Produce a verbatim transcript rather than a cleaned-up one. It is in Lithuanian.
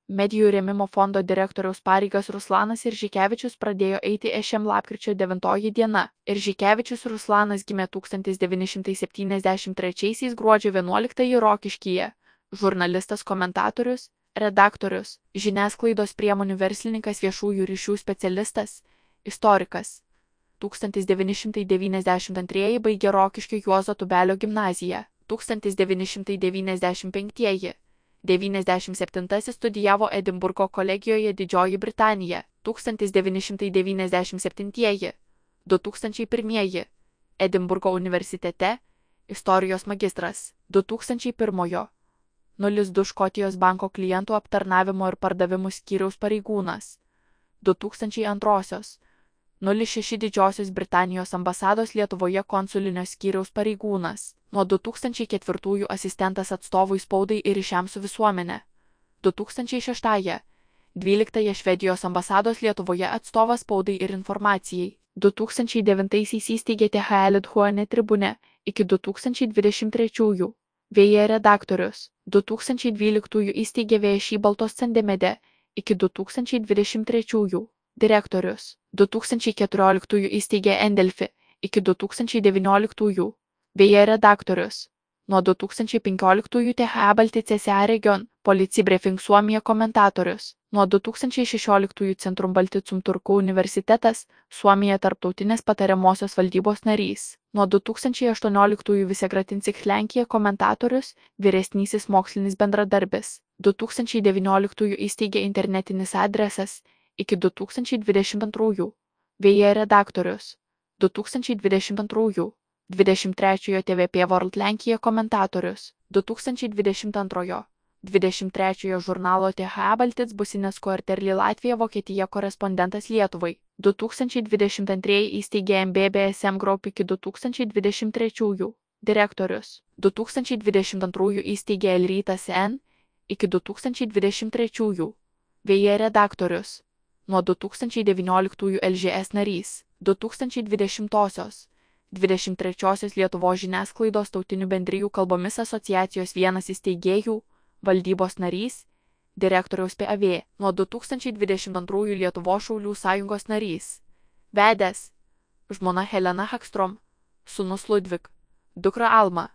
Medijų rėmimo fondo direktoriaus pareigas Ruslanas Iržikevičius pradėjo eiti ešem lapkričio devintoji diena. Iržikevičius Ruslanas gimė tūkstantis devyni šimtai septyniasdešimt trečiaisiais gruodžio vienuoliktąją Rokiškyje. Žurnalistas, komentatorius, redaktorius, žiniasklaidos priemonių verslininkas, viešųjų ryšių specialistas, istorikas. tūkstantis devyni šimtai devyniasdešimt antrieji baigė Rokiškio Juozo Tubelio gimnaziją. tūkstantis devyni šimtai devyniasdešimt penktieji. devyniasdešimt septintaisiais studijavo Edinburgo kolegijoje Didžioji Britanija. tūkstantis devyni šimtai devyniasdešimt septintieji. du tūkstančiai pirmieji. Edinburgo universitete. Istorijos magistras. du tūkstančiai pirmojo. nulis du Škotijos banko klientų aptarnavimo ir pardavimų skyriaus pareigūnas. du tūkstančiai antrosios. nulis šeši Didžiosios Britanijos ambasados Lietuvoje konsulinio skyriaus pareigūnas. Nuo du tūkstančiai ketvirtųjų asistentas atstovui spaudai ir ryšiams su visuomene. du tūkstančiai šeštąją. dvyliktąją Švedijos ambasados Lietuvoje atstovas spaudai ir informacijai. du tūkstančiai devintaisiais įsteigė T H L Huane Tribune, iki du tūkstančiai dvidešimt trečiųjų. Vėje redaktorius. du tūkstančiai dvyliktųjų įsteigė Viešį Baltos Cendemede, iki du tūkstančiai dvidešimt trečiųjų. Direktorius. du tūkstančiai keturioliktųjų įsteigė Endelfi, iki du tūkstančiai devynioliktųjų. Vėje redaktorius. Nuo du tūkstančiai penkioliktųjų T H Baltic S A Region, Policija Briefing Suomija komentatorius. Nuo du tūkstančiai šešioliktųjų Centrum Balticum Turku universitetas, Suomija tarptautinės patariamosios valdybos narys. Nuo du tūkstančiai aštuonioliktųjų Visegradinsik Lenkija komentatorius, vyresnysis mokslinis bendradarbis. du tūkstančiai devynioliktųjų įsteigė internetinis adresas, iki du tūkstančiai dvidešimt antrųjų. Vėje redaktorius. du tūkstančiai dvidešimt antrųjų. dvidešimt trečiojo T V P World Lenkija komentatorius. du tūkstančiai dvidešimt antrojo. dvidešimt trečiojo žurnalo T H Baltic Business Quarterly Latvija Vokietija korespondentas Lietuvai. du tūkstančiai dvidešimt antrieji įsteigė M B B S M Group iki du tūkstančiai dvidešimt trečiųjų. Direktorius. du tūkstančiai dvidešimt antrųjų įsteigė L Rytas N. iki du tūkstančiai dvidešimt trečiųjų. Vėje redaktorius. Nuo du tūkstančiai devynioliktųjų L G S narys. du tūkstančiai dvidešimtosios. dvidešimt trečiosios Lietuvos žiniasklaidos tautinių bendrijų kalbomis asociacijos vienas įsteigėjų, valdybos narys, direktoriaus P A V, nuo du tūkstančiai dvidešimt antrųjų Lietuvos Šaulių sąjungos narys. Vedęs. Žmona Helena Hakstrom, sūnus Ludvik, dukra Alma.